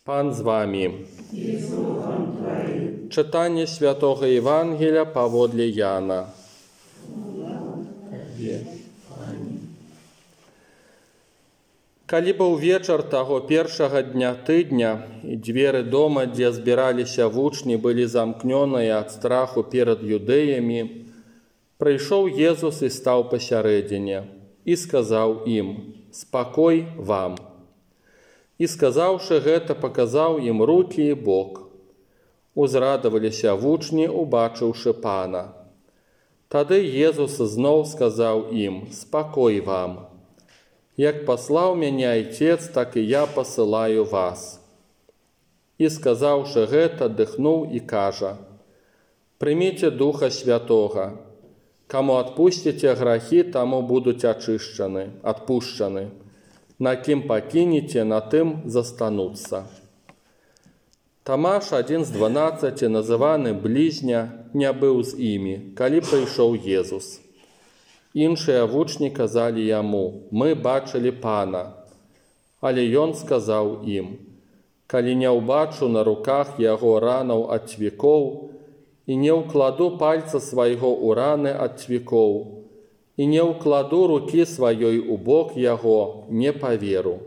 Пан з вами. Читання Святого Євангелія паводле Яна. Калі быў вечар таго першага дня тыдня, і дзверы дома, дзе збіраліся вучні, былі замкнёныя ад страху перад юдэямі, прыйшоў Езус і стаў пасярэдзіне, і сказаў ім: «Спакой вам». І, сказаўшы гэта, паказаў ім рукі і бок. Узрадаваліся вучні, убачыўшы Пана. Тады Езус зноў сказаў ім: «Спакой вам. Як паслаў мяне Айцец, так і я пасылаю вас». І, сказаўшы гэта, дыхнуў і кажа: «Прыміце Духа Святога. Каму адпусціце грахі, таму будуць адпушчаны. На кім пакінеце, на тым застануцца». Тамаш, адзін з 12, называны блізня, не быў з імі, калі прыйшоў Езус. Іншыя вучні казалі яму: «Мы бачылі Пана». Але ён сказаў ім: «Калі не ўбачу на руках яго ранаў ад цвікоў, і не ўкладу пальца свайго ў раны ад цвікоў, і не ўкладу рукі сваёй у бок яго, не паверу».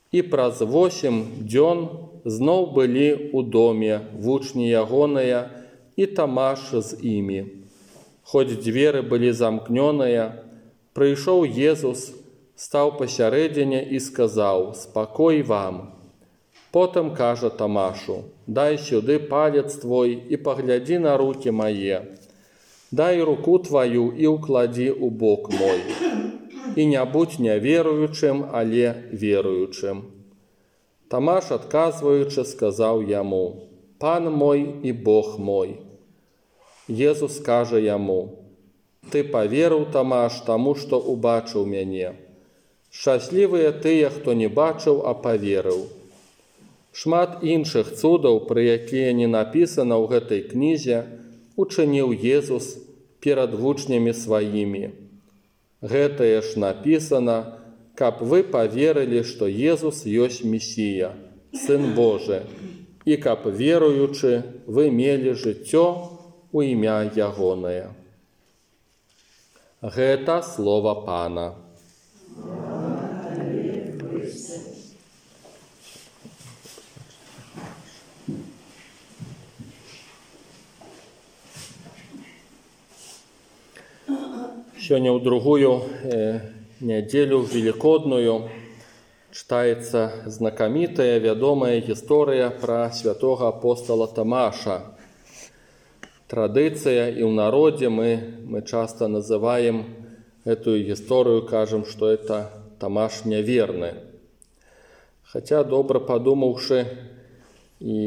І праз 8 дзён зноў былі ў доме вучні ягоныя і Тамаш з імі. Хоць дзверы былі замкнёныя, прыйшоў Езус, стаў пасярэдзіне і сказаў: «Спакой вам». Потым кажа Тамашу: «Дай сюды палец твой і паглядзі на рукі мае. Дай руку тваю і ўкладзі ў бок мой. І не будзь няверуючым, але веруючым». Тамаш, адказваючы, сказаў яму: «Пан мой і Бог мой». Езус кажа яму: «Ты паверыў, Тамаш, таму, што убачыў мяне. Шчаслівыя тыя, хто не бачыў, а паверыў». Шмат іншых цудаў, пра якія не напісана ў гэтай кнізе, учыніў Езус перад вучнямі сваімі. Гэтае ж напісана, каб вы паверылі, што Езус ёсць Месія, Сын Божы, і каб, веруючы, вы мелі жыццё у імя ягонае. Гэта слова Пана. Сёння ў другую нядзелю велікодную чытаецца знакамітая, вядомая гісторыя пра святога апостала Тамаша. Традыцыя, і ў народзе мы часта называем гэтую гісторыю, кажам, што это Тамаш няверны. Хаця, добра падумаўшы і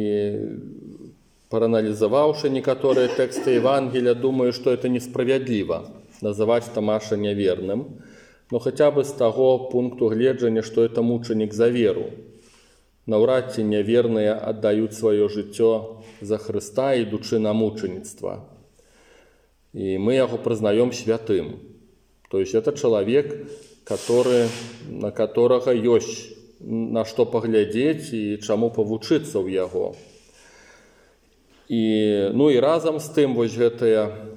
прааналізаваўшы некаторыя тэксты Евангелія, думаю, што это несправядліва называць Тамаша няверным, но хаця бы з таго пункту гледжання, што это мучанік за веру. Наўрад ці няверныя аддаюць сваё жыццё за Хрыста, ідучы на мучаніцтва. І мы яго прызнаём святым. То есть это чалавек, на которага ёсць на што паглядзець і чаму павучыцца ў яго. І разам з тым вось гэтая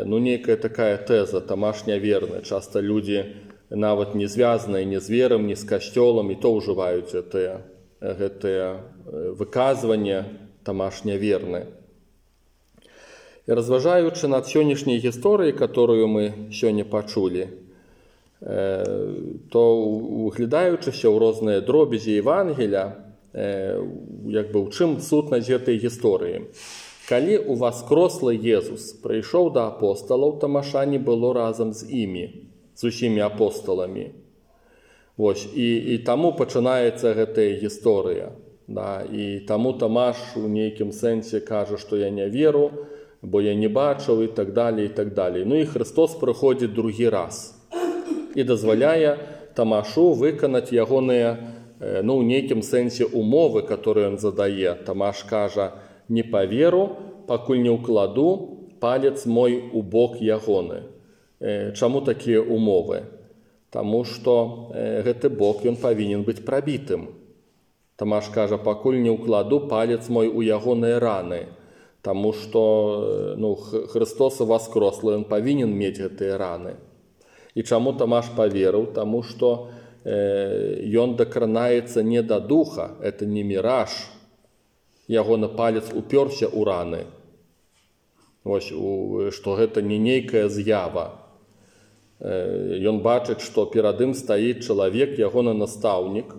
нейкая такая тэза: Тамаш няверны. Часта людзі, нават не звязаныя ні з верам, ні з касцёлам, і то ўжываюць гэтае выказванне «Тамаш няверны». І разважаючы над сённяшняй гісторыяй, которую мы сёння пачулі, то, углядаючыся ў розныя дробязі Евангелія, у чым сутнасць гэтай гісторыі. Калі уваскрослы Езус прыйшоў да апосталаў, Тамаша не было разам з імі, з усімі апосталамі. І таму пачынаецца гэтая гісторыя. І таму Тамаш у нейкім сэнсе кажа, што я не веру, бо я не бачыў, і так далее, і так далее. І Христос прыходзіць другі раз і дазваляе Тамашу выканаць ягоныя, у нейкім сэнсе, умовы, которые ён задае. Тамаш кажа: «Не паверу, пакуль не ўкладу палец мой у бок ягоны». Чаму такія умовы? Таму што гэты бок ён павінен быць прабітым. Тамаш кажа, пакуль не ўкладу палец мой у ягоныя раны, таму што Христос воскрослы, ён павінен мець гэтыя раны. І чаму Тамаш паверыў? Таму што ён дакранаецца не да духа, это не міраж. Ягоны палец упёрся ў раны. Вось, што гэта не нейкая з'ява. Ён бачыць, што перад ім стаіць чалавек, ягоны настаўнік,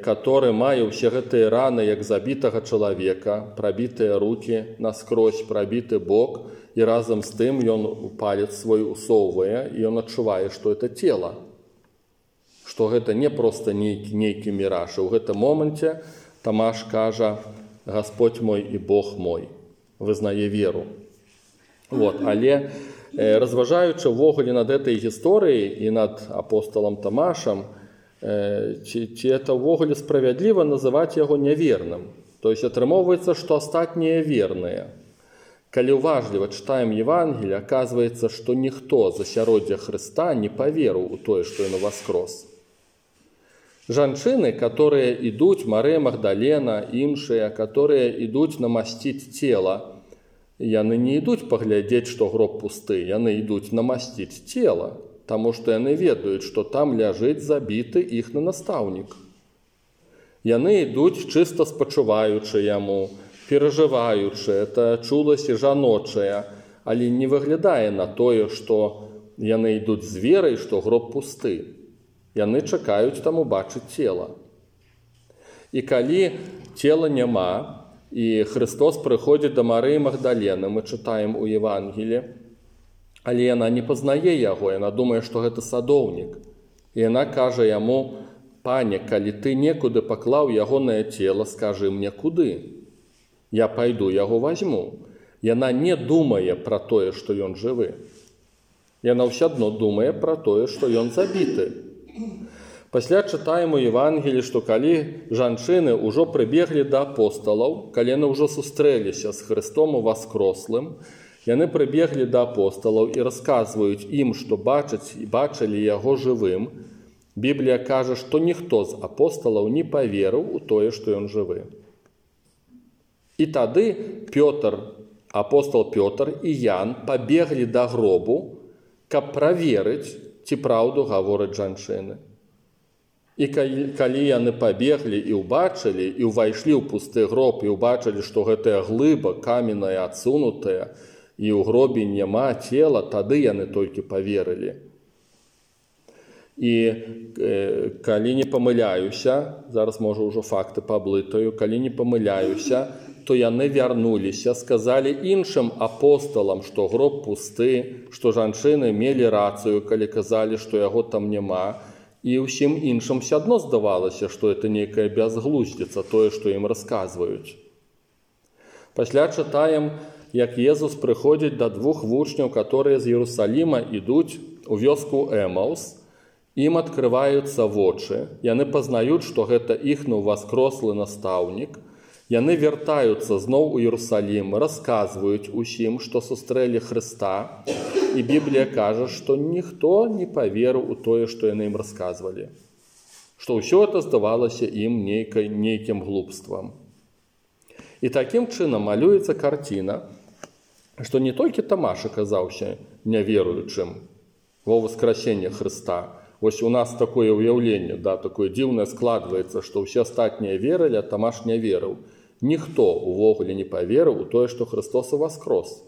который мае ўсе гэтыя раны, як забітага чалавека, прабітыя рукі наскрозь, прабіты бок, і разам з тым ён палец свой усоўвае, і ён адчувае, што это цела. Што гэта не проста нейкі міраж. У гэтым моманце Тамаш кажа, Господь мой і Бог мой, вызнае веру. Але разважаючы ўвогуле над этой гісторыяй і над апостолам Тамашам, ці это ўвогуле справядліва называць яго няверным. То есть атрымоўваецца, што астатнія верныя. Калі уважліва чытаем Евангелие, оказывается, што ніхто з асяроддзя Хрыста не паверыў у тое, што ён воскрос. Жанчыны, которые ідуць, Марыя Магдалена, іншыя, которые ідуць намасціць цела, яны не ідуць паглядзець, што гроб пусты, яны ідуць намасціць цела, таму што яны ведаюць, што там ляжыць забіты іхны настаўнік. Яны ідуць чыста спачуваючы яму, перажываючы, это чуласць жаночая, але не выглядае на тое, што яны ідуць з верай, што гроб пусты. Яны чакаюць там убачыць цела. І калі цела няма, і Христос прыходзіць да Марыі Магдалены, мы чытаем у Евангелі, але яна не пазнае яго, яна думае, што гэта садоўнік. І яна кажа яму, пане, калі ты некуды паклаў ягонае цела, скажы мне куды. Я пайду яго возьму. Яна не думае пра тое, што ён жывы. Яна ўсё адно думае пра тое, што ён забіты. Пасля чытаем у Евангелі, што калі жанчыны ўжо прыбеглі да апосталаў, калі яны ўжо сустрэліся з Христом воскрослым, яны прыбеглі да апосталаў і расказваюць ім, што бачылі яго жывым, Біблія кажа, што ніхто з апосталаў не паверыў у тое, што ён жывы. І тады апостол Пётр і Ян пабеглі да гробу, каб праверыць, ці праўду гавораць жанчыны. І калі яны пабеглі і ўбачылі, і ўвайшлі ў пусты гроб, і ўбачылі, што гэтая глыба каменная адсунутая, і ў гробе няма цела, тады яны толькі паверылі. І калі не памыляюся, зараз, можа, ўжо факты паблытаю, калі не памыляюся, то яны вярнуліся, сказалі іншым апосталам, што гроб пусты, што жанчыны мелі рацыю, калі казалі, што яго там няма, і ўсім іншым все адно здавалася, што это нейкая бязглуздзіца, тое, што ім расказваюць. Пасля чытаем, як Езус прыходзіць да двух вучняў, которые з Иерусалима ідуць у вёску Эмаус, ім адкрываюцца вочы, яны пазнаюць, што гэта іхны воскрослы настаўнік, яны вяртаюцца зноў у Иерусалим, расказваюць усім, што сустрэлі Хрыста, і Біблія кажа, што ніхто не паверыў у тое, што яны ім расказвалі. Што ўсё это здавалася ім нейкім глупствам. І такім чынам малюецца карціна, што не толькі Тамаш аказаўся няверуючым ва ўваскрасенне Хрыста. Вось у нас такое ўяўленне, такое дзіўнае складваецца, што ўсе астатнія верылі, а Тамаш не верыў. Ніхто увогуле не паверыў у тое, што Христос воскрос.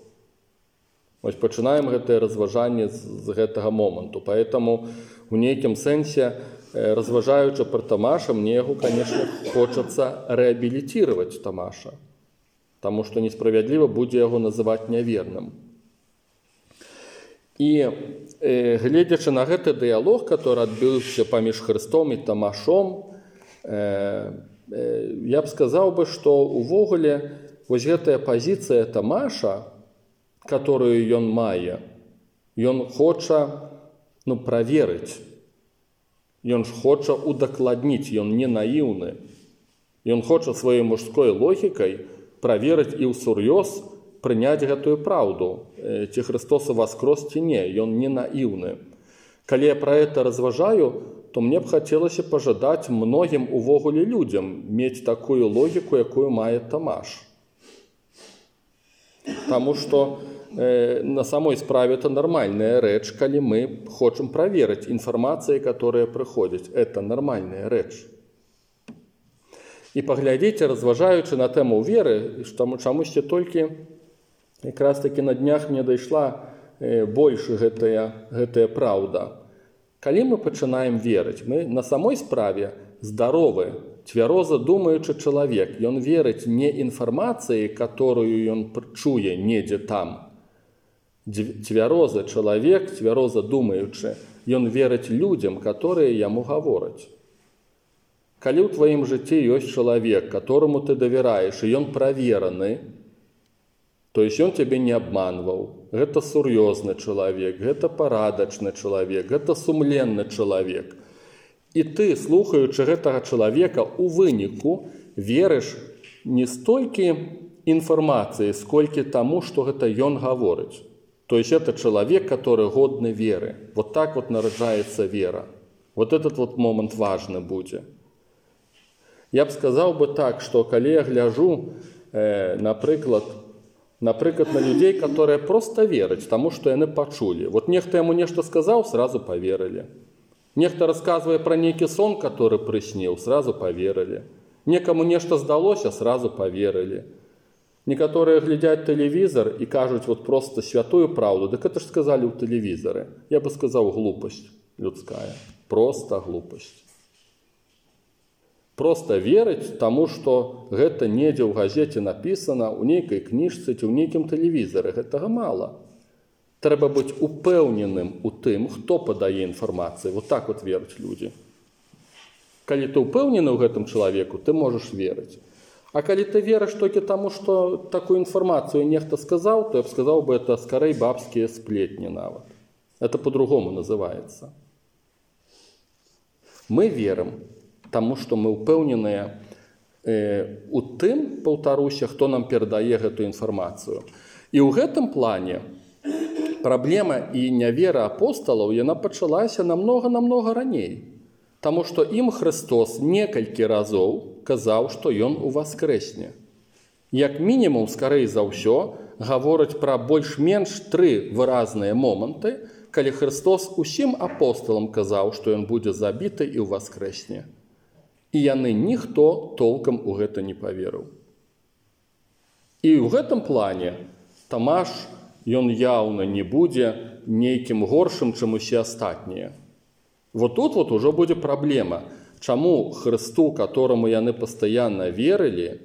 Вось пачынаем гэтае разважанне з гэтага моманту. Поэтому у нейкім сэнсе, разважаючы пра Тамаша, мне яго, конечно, хочацца рэабілітировать Тамаша, таму што несправядліва будзе яго называць няверным. І гледзячы на гэты дыялог, который адбыўся паміж Хрыстом і Тамашом, я б сказаў бы, што увогуле вось гэтая пазіцыя Тамаша, которую ён мае, ён хоча праверыць, ён хоча удакладніць, ён не наіўны. Ён хоча сваёй мужской логікай праверыць і ўсур'ёз прыняць гэтую праўду, ці Христос воскрос, ці не, ён не наіўны. Калі я пра гэта разважаю, то мне б хацелася пажадаць многім увогуле людзям мець такую логіку, якую мае Тамаш. Таму што на самой справе это нармальная рэч, калі мы хочам праверыць інфармацыі, которая прыходзіць. Это нармальная рэч. І паглядзіце, разважаючы на тэму веры, чамусьці толькі якраз такі на днях мне дайшла больш гэтая праўда. Калі мы пачынаем верыць, мы на самой справе здаровы, цвяроза думаючы чалавек. Ён верыць не інфармацыі, которую ён чуе недзе там. Цвярозы чалавек, цвяроза думаючы, ён верыць людзям, которые яму гавораць. Калі ў тваім жыцці ёсць чалавек, которому ты давяраеш, і ён правераны, то есть ён цябе не абманваў. Гэта сур'ёзны чалавек, гэта парадачны чалавек, гэта сумленны чалавек. І ты, слухаючы гэтага чалавека, у выніку верыш не столькі інфармацыі, сколькі таму, што гэта ён гаворыць. То есть это человек, который годны веры. Вот так вот нараджаецца вера. Вот этот вот момент важны будзе. Я б сказаў бы так, што калі я гляжу, напрыклад, на людзей, которые просто вераць, таму што яны пачулі. Вот нехта яму нешта сказаў, сразу поверылі. Нехта расказвае пра нейкі сон, который прысніў, сразу поверылі. Некаму нешта здалося, сразу поверылі. Некаторыя глядзяць тэлевізор і кажуць вот просто святую праўду. Дык это ж сказалі ў тэлевізары. Я бы сказаў, глупасць людская. Просто глупасць. Просто верыць таму, што гэта недзе ў газеце напісана, у нейкай кніжцы ці ў нейкім тэлевізары. Гэтага мала. Трэба быць упэўненым у тым, хто падае інфармацыю. Вот так вот вераць людзі. Калі ты упэўнены ў гэтым чалавеку, ты можаш верыць. А калі ты верыш толькі таму, што такую інфармацыю нехта сказаў, то я б сказаў бы, это скорей бабскія сплетні нават. Это по-другому называется. Мы верым таму, што мы ўпэўненыя у тым, паўтаруся, хто нам перадае гэту інфармацыю. І ў гэтым плане праблема і нявера апосталаў, яна пачалася намнога раней. Таму што ім Христос некалькі разоў казаў, што ён уваскрэсне. Як мінімум, скарэй за ўсё, гавораць пра больш-менш 3 выразныя моманты, калі Христос усім апосталам казаў, што ён будзе забіты і ўваскрэсне. І яны ніхто толкам у гэта не паверыў. І ў гэтым плане Тамаш, ён яўна не будзе нейкім горшым, чым усе астатнія. Вот тут вот ужо будзе праблема. Чаму Христу, которому яны пастаянна верылі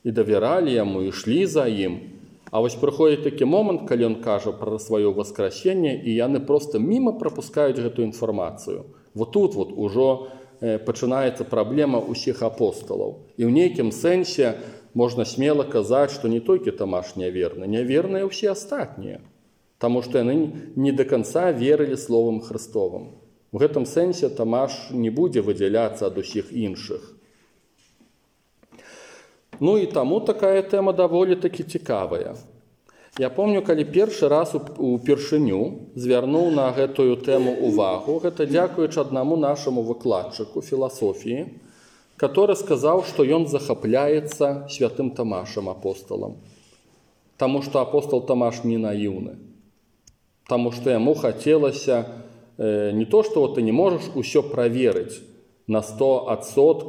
і давяралі яму, і ішлі за ім, а вось прыходзіць такі момант, калі ён кажа пра сваё воскресенне, і яны проста міма прапускаюць гэту інфармацыю. Вот тут вот ужо пачынаецца праблема ўсіх апосталаў. І ў нейкім сэнсе можна смела казаць, што не толькі Тамаш няверны, няверныя ўсе астатнія, таму што яны не да канца верылі словам Христовым. У гэтым сэнсе Тамаш не будзе выдзяляцца ад усіх іншых. Ну і таму такая тэма даволі такі цікавая. Я помню, калі першы раз упершыню звярнуў на гэтую тэму увагу, гэта дзякуючы аднаму нашаму выкладчыку філасофіі, который сказаў, што ён захапляецца святым Тамашам апосталам. Таму што апостал Тамаш не наіўны. Таму што яму хацелася не то, што ты не можаш усё праверыць на 100%,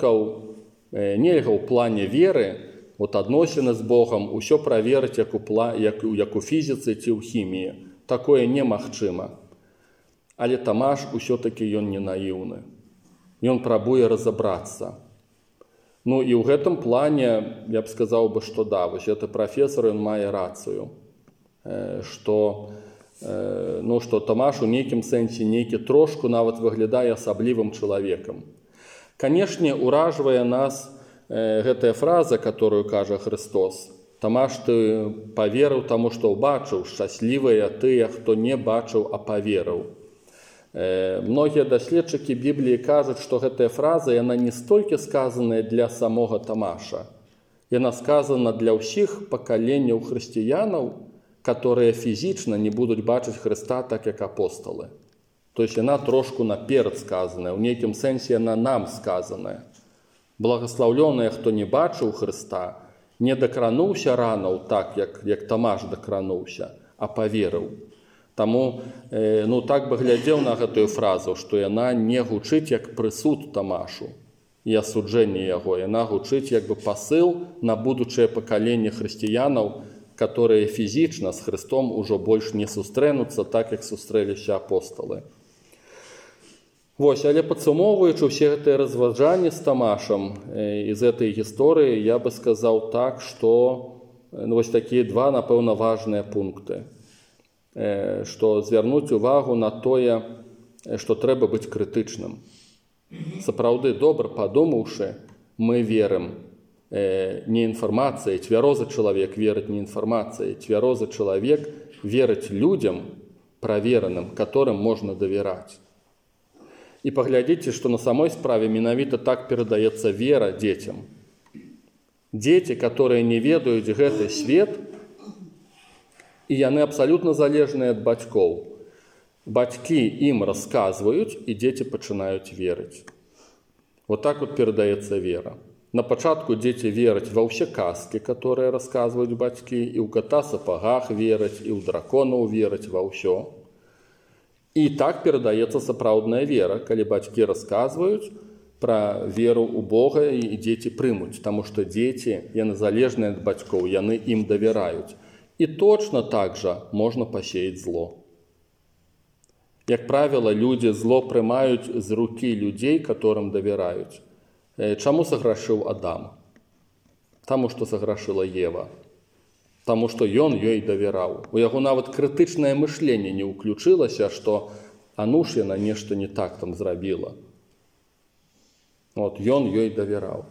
нельга ў плане веры, адносіны з Богам, усё праверыць, як у фізіцы ці ў хіміі. Такое немагчыма. Але Тамаш усё-такі ён не наіўны. Ён прабуе разабрацца. Ну і ў гэтым плане я б сказаў бы, што да, вось гэты прафесор, ён мае рацыю, што Тамаш у нейкім сэнсе нейкі трошку нават выглядае асаблівым чалавекам. Канешне, уражвае нас гэтая фраза, которую кажа Христос. Тамаш, ты паверыў таму, што ўбачыў, шчаслівыя тыя, хто не бачыў, а паверыў. Многія даследчыкі Бібліі кажуць, што гэтая фраза, яна не столькі сказаная для самога Тамаша. Яна сказана для ўсіх пакаленняў хрысціянаў, которые фізічна не будуць бачыць Христа так, як апосталы. То есть яна трошку наперад сказаная, у нейкім сэнсе яна нам сказаная. Благословленная, хто не бачыў Хрыста, не дакрануўся ранаў так, як Тамаш дакрануўся, а паверыў. Таму так бы глядзеў на гэтую фразу, што яна не гучыць як прысуд Тамашу і асуджэнне яго. Яна гучыць як бы пасыл на будучае пакаленне хрысціянаў, которые фізічна з Христом ужо больш не сустрэнуцца так, як сустрэліся апосталы. Але падсумоўваючы ўсе гэтыя разважанні з Тамашам з гэтай гісторыі, я бы сказаў так, што такія два, напэўна, важныя пункты. Што звярнуць увагу на тое, што трэба быць крытычным. Сапраўды, добра падумаўшы, мы верым не інфармацыяй, цвярозы чалавек верыць не інфармацыяй, цвярозы чалавек верыць людзям правераным, которым можна давяраць. І паглядзіце, што на самой справе менавіта так перадаецца вера дзецям. Дзеці, которые не ведаюць гэты свет, і яны абсалютна залежныя ад бацькоў. Бацькі ім расказваюць, і дзеці пачынаюць верыць. Так перадаецца вера. На пачатку дзеці вераць ва ўсе казкі, которые расказваюць бацькі, і ў ката сапагах вераць, і ў драконаў вераць ва ўсё. І так перадаецца сапраўдная вера, калі бацькі расказваюць пра веру ў Бога, і дзеці прымуць, таму што дзеці, яны залежныя ад бацькоў, яны ім давяраюць. І точно так жа можна пасеяць зло. Як правіла, людзі зло прымаюць з рукі людзей, которым давяраюць. Чаму саграшыў Адам? Таму што саграшыла Ева. Таму што ён ёй давяраў. У яго нават крытычнае мышленне не ўключылася, што ж яна нешта не так там зрабіла. Ён ёй давяраў.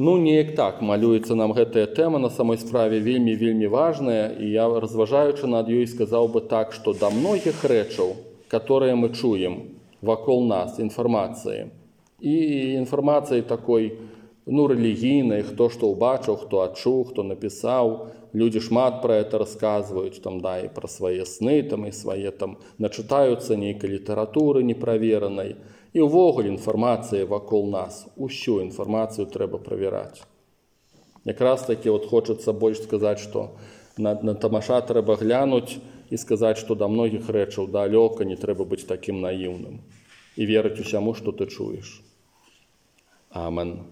Неяк так малюецца нам гэтая тэма, на самой справе вельмі важная, і я, разважаючы над ёй, сказаў бы так, што да многіх рэчаў, которые мы чуем вакол нас, інфармацыі, і інфармацыі такой, рэлігійнай, хто што ўбачыў, хто адчуў, хто напісаў, людзі шмат пра гэта расказваюць, і пра свае сны, і свае начытаюцца нейкай літаратуры неправеранай. І ўвогуле інфармацыя вакол нас, усю інфармацыю трэба правяраць. Якраз такі хочацца больш сказаць, што на Тамаша трэба глянуць і сказаць, што да многіх рэчаў далёка не трэба быць такім наіўным і верыць усяму, што ты чуеш. Амен.